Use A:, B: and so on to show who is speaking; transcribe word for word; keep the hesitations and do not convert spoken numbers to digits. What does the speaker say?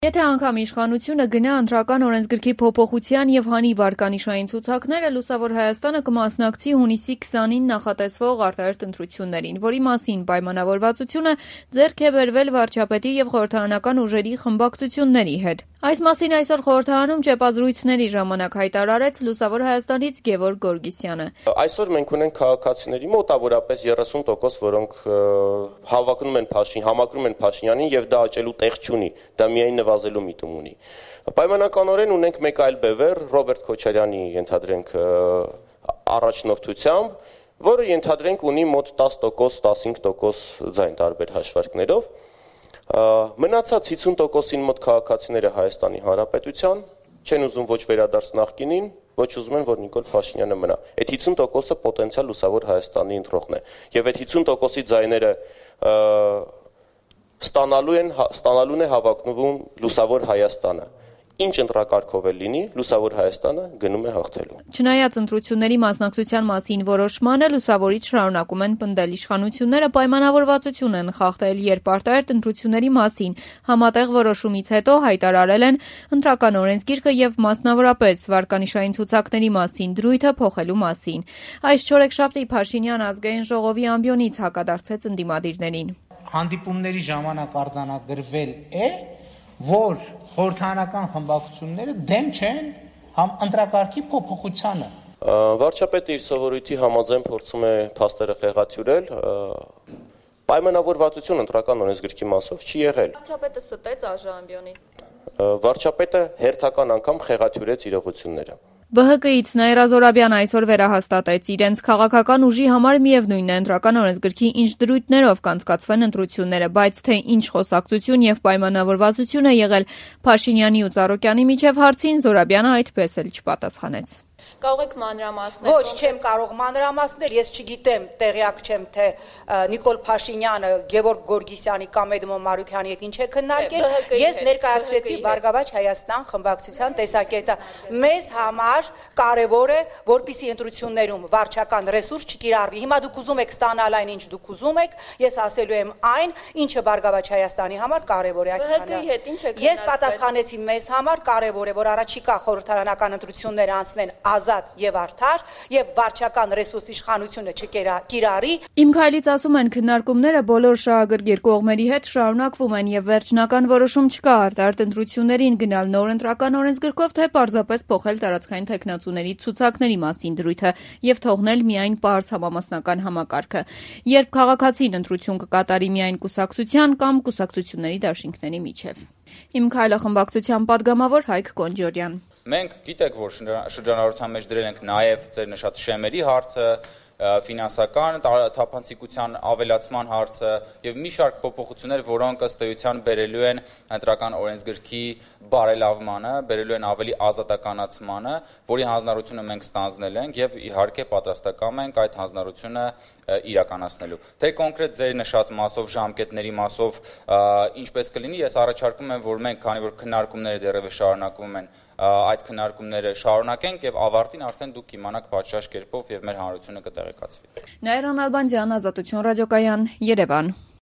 A: Եթե անգամ իշխանությունը գնա ընտրական օրենսգրքի փոփոխության եւ հանի վարկանիշային ցուցակները, Լուսավոր Հայաստանը կմասնակցի հունիսի քսանին նախատեսվող արտահերթ ընտրություններին, որի մասին պայմանավորվածությունը ձեռք է բերվել վարչապետի եւ խորհրդարանական ուժերի խմբակցությունների հետ։ Այս մասին այսօր խորհրդարանում ճեպազրույցների ժամանակ հայտարարեց Լուսավոր Հայաստանից Գևորգ Գորգիսյանը։
B: Այսօր մենք ունենք քաղաքացիների մոտավորապես երեսուն տոկոս, որոնք հավակնում են Փաշին, համակրում են Փաշինյանին եւ դա աճելու տեղ չունի, դա միայն նվազելու միտում ունի։ Պայմանականորեն ունենք մեկ այլ բևեռ Ռոբերտ Քոչարյանի ենթադրենք առաջնորդությամբ, որը ենթադրենք ունի մոտ տասը տոկոս, տասնհինգ տոկոս ձայն տարբեր հաշվարկներով։ Մնացած հիսուն տոկոսին մոտ քաղաքացիները Հայաստանի Հանրապետության չեն ուզում ոչ վերադարձ նախկինին, ոչ ուզում են, որ Նիկոլ Փաշինյանը մնա։ Այդ հիսուն տոկոսը պոտենցիալ Լուսավոր Հայաստանի ընտրողն է։ Եվ այդ հիսուն տոկոսի ձայները ստանալու են ստանալուն է հավակնվում Լուսավոր Հայաստանը։ Ինչ ընտրակարգով է լինի, Լուսավոր Հայաստանը գնում է հաղթելու։
A: Չնայած ընտրությունների մասնակցության մասին որոշմանը, լուսավորից շարունակում են պնդել իշխանությունները պայմանավորվածություն են խախտել, երբ արտահերթ ընտրությունների մասին համատեղ որոշումից հետո հայտարարել են ընտրական օրենսգիրքը եւ մասնավորապես վարկանիշային ցուցակների մասին դրույթը փոխելու մասին։ Այս չորեքշաբթի Փաշինյան ազգային ժողովի ամբիոնից հակադարձեց ընդդիմադիրներին։
C: Հանդիպումների ժամանակ արձանագրվել է, որ խորհրդարանական խմբակցությունները դեմ չեն համ ընտրակարգի փոփոխությանը։
B: Վարչապետը իր սովորույթի համաձայն փորձում է փաստերը խեղաթյուրել, պայմանավորվածություն ընտրական օրենսգրքի մասով չի եղել։
A: Վարչապետը ստեց ԱԺ-ամբիոնին։
B: Վարչապետը հերթական անգամ խեղաթյուրեց իրողությունները։
A: Բ Հ Կից Նաիրա Զորաբյանը այսօր վերահաստատեց իրենց քաղաքական ուժի համար միևնույնն է ընտրական օրենսգրքի ինչ դրույթներով կանցկացվեն ընտրությունները, բայց թե ինչ խոսակցություն եւ պայմանավորվածություն է եղել Փաշինյանի ու Ծառուկյանի միջև հարցին Զորաբյանը այդպես էլ չպատասխանեց։ Կարող եք մանրամասնել։
D: Ոչ, չեմ կարող մանրամասնել, ես չգիտեմ, տեղյակ չեմ, թե Նիկոլ Փաշինյանը Գևորգ Գորգիսյանի կամ Էդմոն Մարուքյանի հետ ինչ է քննարկել։ Ես ներկայացրեցի Բարգավաճ Հայաստան խմբակցության տեսակետը։ Մեզ համար կարևոր է, որպեսզի ընտրություններում վարչական ռեսուրս չկիրառվի։ Հիմա դուք ուզում եք ստանալ այն, ինչ դուք ուզում եք, ես ասելու եմ այն, ինչը Բարգավաճ Հայաստանի համար կարևոր է այսքանը։ Ես պատասխանեցի մեզ համար կարևոր է, որ առաջիկա խորհրդարանական ընտրությունները անցնեն ազատ եւ արդար եւ վարչական ռեսուրս իշխանությունը չկիրառի։
A: Իմ քայլից ասում են քննարկումները բոլոր շահագրգիռ կողմերի հետ շարունակվում են եւ վերջնական որոշում չկա արտահերթ ընտրություններին գնալ նոր ընտրական օրենսգրքով, թե պարզապես փոխել տարածքային թեկնածուների ցուցակների մասին դրույթը եւ թողնել միայն պարզ համամասնական համակարգը, երբ քաղաքացին ընտրություն կկատարի միայն կուսակցության կամ կուսակցությունների դաշինքների միջև։ Իմ քայլը խմբակցության падգամավոր Հայկ Կոնջորյան։
E: Մենք գիտեք, որ շրջանառության մեջ դրել ենք նաև ձեր նշած շեմերի հարցը, ֆինանսական թափանցիկության ավելացման հարցը եւ մի շարք փոփոխություններ, որոնք ըստ էության բերելու են ընտրական օրենսգրքի բարելավմանը, բերելու են ավելի ազատականացմանը, որի հանձնառությունը մենք ստանձնել ենք եւ իհարկե պատրաստակամ ենք այդ հանձնառությունը իրականացնելու։ Թե կոնկրետ ձեր նշած մասով, ժամկետների մասով ինչպես կլինի, ես առաջարկում եմ, որ մենք, քանի որ քննարկումները դեռևս շարունակվում են, այդ քննարկումները շարունակենք եւ ավարտին արդեն դուք կիմանաք պատշաճ կերպով եւ մեր հանրությունը կտեղեկացվի։
A: Նաիրա Նալբանդյան, Ազատություն ռադիոկայան, Երևան։